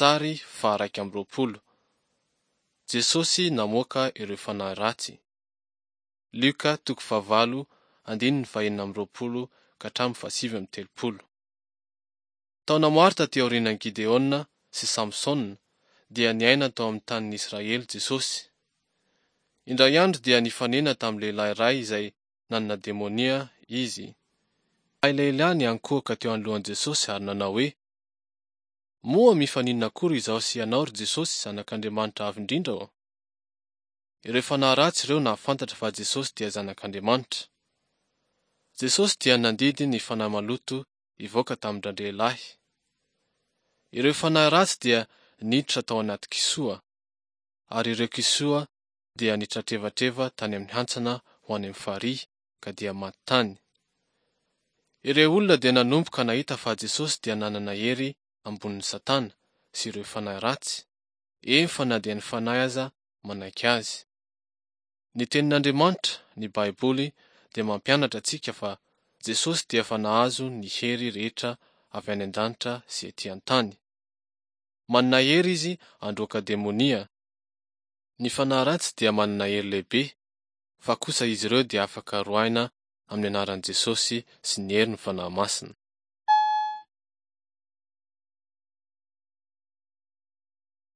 Sary faha-21. Jesosy namoaka ireo fanahy ratsy. Lioka toko fahavalo andininy fahenina amby roapolo ka hatramin'ny fahasivy amby telopolo. Taona maro taty aorianan'i Gideona sy Samsona dia niaina tao amin'ny tanin'i Israely Jesosy. Indray andro dia nifanena tamin'ny lehilahy iray izay nanana demonia Izy. Ilay lehilahy niankohoka teo anoloan'i Jesosy ary nanao hoe, Moa mifaninona akory izaho sy ianao, ry Jesosy, Zanak'Andriamanitra Avo Indrindra ô? Ireo fanahy ratsy ireo nahafantatra fa Jesosy dia Zanak'Andriamanitra. Jesosy dia nandidy ny fanahy maloto hivoaka tamin-dRalehilahy. Ireo fanahy ratsy dia niditra tao anaty kisoa, ary ireo kisoa dia nitratrevatreva tany amin'ny hantsana ho any amin'ny farihy ka dia maty tany. Ireo olona dia nanomboka nahita fa Jesosy dia nanana hery ambonin'i Satana sy ireo fanahy ratsy, eny fa na dia ny fanahy aza manaiky azy. Ny Tenin'Andriamanitra, ny Baiboly, dia mampianatra antsika fa Jesosy dia efa nahazo ny hery rehetra avy any an-danitra sy ety an-tany. Manana hery Izy handroaka demonia. Ny fanahy ratsy dia manana hery lehibe, fa kosa izy ireo dia afaka roahina amin'ny anaran'i Jesosy sy ny herin'ny Fanahy Masina.